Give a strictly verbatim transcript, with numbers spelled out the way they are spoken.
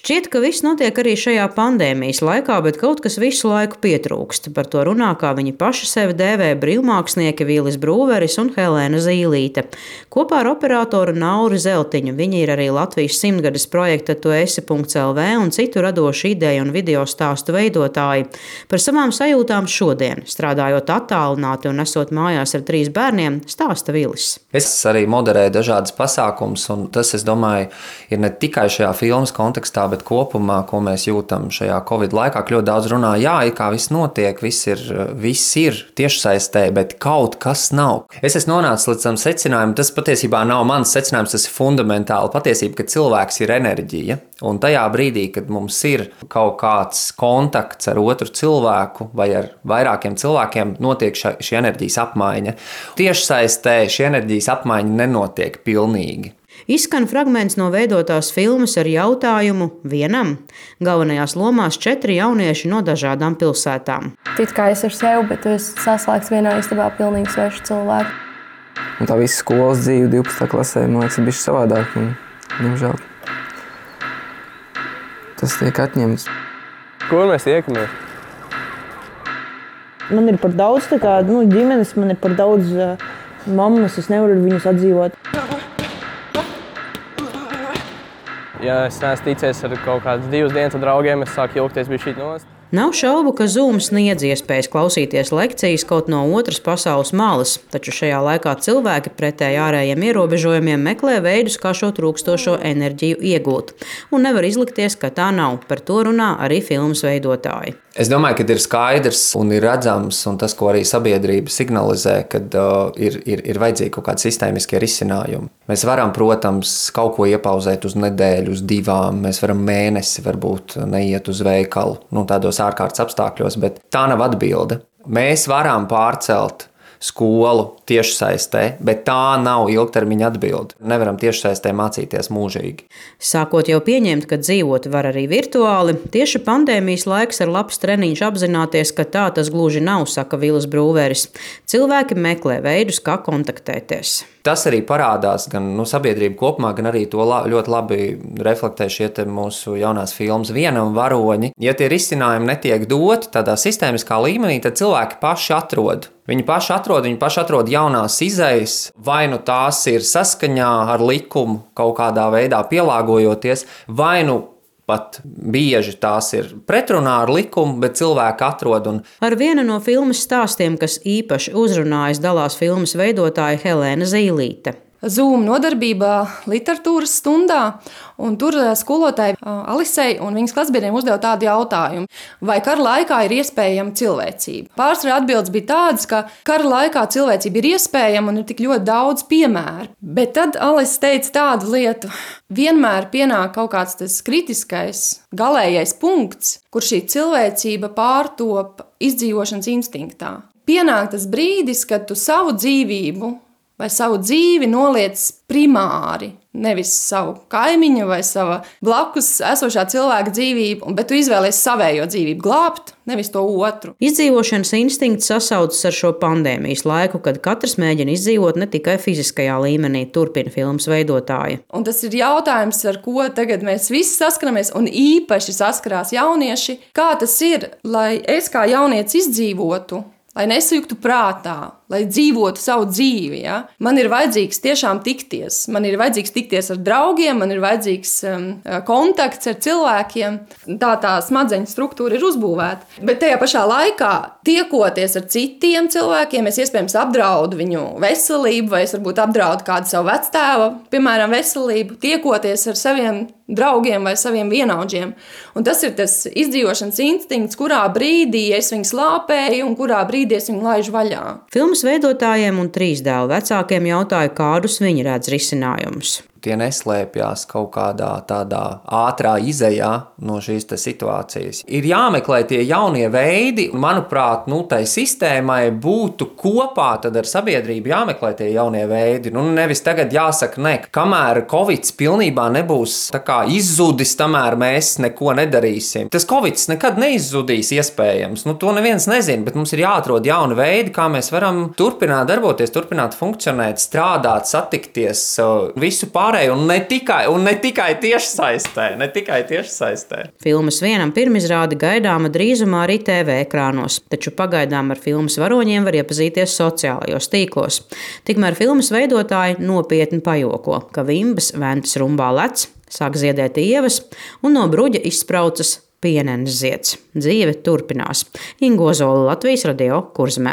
Šķiet, ka viss notiek arī šajā pandēmijas laikā, bet kaut kas visu laiku pietrūkst. Par to runā, kā viņi paši sevi dēvē, brīvmākslinieki Vīlis Brūveris un Helēna Zīlīte. Kopā ar operatoru Nauri Zeltiņu viņi ir arī Latvijas simtgades projekta Tu esi punkts el vē un citu radošu ideju un video stāstu veidotāji. Par savām sajūtām šodien, strādājot attālināti un esot mājās ar trīs bērniem, stāsta Vīlis. Es arī moderēju dažādas pasākumus, un tas, es domāju, ir ne tikai šajā filmas kontekstā, bet kopumā, ko mēs jūtam šajā Covid laikā. Ļoti daudz runā, jā, ir kā viss notiek, viss ir, viss ir tiešsaistē, bet kaut kas nav. Es esmu nonācis līdz tam secinājumam, tas patiesībā nav mans secinājums, tas ir fundamentāli patiesība, ka cilvēks ir enerģija. Un tajā brīdī, kad mums ir kaut kāds kontakts ar otru cilvēku vai ar vairākiem cilvēkiem, notiek šī enerģijas apmaiņa. Tiešsaistē šī enerģijas apmaiņa nenotiek pilnīgi. Izskan fragments no veidotās filmas ar jautājumu vienam. Galvenajās lomās četri jaunieši no dažādām pilsētām. Tit kā es ar sevi, bet tu esi saslēgts vienā istabā pilnīgi svešu cilvēku. Un tā visa skolas dzīve divpadsmitā klasē, man liekas, ir bišķi savādāk. Un, diemžēl, tas tiek atņemts. Kur mēs iekamies? Man ir par daudz tā kā, nu, ģimenes, man ir par daudz uh, mammas, es nevaru ar viņus atdzīvot. Ja es neesmu ticies ar kaut kādas divas dienas ar draugiem, es sāku ilgties bišķīt nost. Nav šaubu, ka Zoom sniedz iespējas klausīties lekcijas kaut no otras pasaules malas, taču šajā laikā cilvēki pretēji ārējiem ierobežojumiem meklē veidus, kā šo trūkstošo enerģiju iegūt. Un nevar izlikties, ka tā nav. Par to runā arī filmas veidotāji. Es domāju, ka ir skaidrs un ir redzams, un tas, ko arī sabiedrība signalizē, kad uh, ir, ir, ir vajadzīgi kaut kādi sistēmiskie risinājumi. Mēs varam, protams, kaut ko iepauzēt uz nedēļu, uz divām, mēs varam mēnesi varbūt neiet uz veikalu, nu, tādos ārkārtas apstākļos, bet tā nav atbilde. Mēs varam pārcelt skolu tiešsaistē, bet tā nav ilgtermiņa atbilde. Nevaram tiešsaistē mācīties mūžīgi. Sākot jau pieņemt, ka dzīvot var arī virtuāli, tieši pandēmijas laiks ir labs treniņš apzināties, ka tā tas gluži nav, saka Vīlis Brūveris. Cilvēki meklē veidus, kā kontaktēties. Tas arī parādās gan nu, sabiedrība kopumā, gan arī to la, ļoti labi reflektē šie mūsu jaunās filmas Vienam varoņi. Ja tie risinājumi netiek doti tādā sistēmiskā līmenī, tad cilvēki paši atrod. Viņi paši atrod, viņi paši atrod jaunās izejas, vai nu tās ir saskaņā ar likumu, kaut kādā veidā pielāgojoties, vai nu pat bieži tās ir pretrunā ar likumu, bet cilvēki atrod. Un... Ar vienu no filmas stāstiem, kas īpaši uzrunājas, dalās filmas veidotāja Helēna Zīlīte. Zoom nodarbībā literatūras stundā, un tur skolotāja Alisei un viņas klasbiedriem uzdeva tādu jautājumu, vai kara laikā ir iespējama cilvēcība. Pārsvarā atbildes bija tādas, ka kara laikā cilvēcība ir iespējama un ir tik ļoti daudz piemēru. Bet tad Alise teica tādu lietu, vienmēr pienāk kaut kāds tas kritiskais, galējais punkts, kur šī cilvēcība pārtop izdzīvošanas instinktā. Pienāk tas brīdis, kad tu savu dzīvību vai savu dzīvi noliec primāri, nevis savu kaimiņu vai sava blakus esošā cilvēka dzīvību, bet tu izvēlies savējo dzīvību glābt, nevis to otru. Izdzīvošanas instinkts sasaucas ar šo pandēmijas laiku, kad katrs mēģina izdzīvot ne tikai fiziskajā līmenī, turpina filmas veidotāja. Un tas ir jautājums, ar ko tagad mēs visi saskaramies, un īpaši saskarās jaunieši. Kā tas ir, lai es kā jaunietis izdzīvotu, lai nesajuktu prātā, lai dzīvotu savu dzīvi. Ja? Man ir vajadzīgs tiešām tikties. Man ir vajadzīgs tikties ar draugiem, man ir vajadzīgs um, kontakts ar cilvēkiem. Tā tā smadzeņu struktūra ir uzbūvēta. Bet tajā pašā laikā, tiekoties ar citiem cilvēkiem, es iespējams apdraudu viņu veselību, vai es varbūt apdraudu kādu savu vectēva, piemēram, veselību, tiekoties ar saviem draugiem vai saviem vienaudžiem. Un tas ir tas izdzīvošanas instinkts, kurā brīdī es viņu slāpēju un kurā brīdī es viņu laižu vaļā. Filmas veidotājiem un trīs dēlu vecākiem jautāja, kādus viņi redz risinājumus. Tie neslēpjas kaut kādā tādā ātrā izejā no šīs situācijas. Ir jāmeklē tie jaunie veidi, un, manuprāt, nu, tai sistēmai būtu kopā tad ar sabiedrību jāmeklē tie jaunie veidi. Nu, nevis tagad jāsaka, ne, kamēr Covids pilnībā nebūs tā kā izzudis, tamēr mēs neko nedarīsim. Tas Covids nekad neizzudīs iespējams, nu, to neviens nezina, bet mums ir jāatrod jauni veidi, kā mēs varam turpināt darboties, turpināt funkcionēt, strādāt, satikties, visu pārējā. pārēju, un ne tikai, un ne tikai tiešsaistē, ne tikai tiešsaistē. Filmas vienam pirmizrāde gaidāma drīzumā arī T V ekrānos, taču pagaidām ar filmas varoņiem var iepazīties sociālajos tīklos. Tikmēr filmas veidotāji nopietni pajoko, ka vimbas ventas rumbā lec, sāk ziedēt ievas un no bruģa izspraucas pienenes zieds. Dzīve turpinās. Inga Ozola, Latvijas Radio, Kurzemē.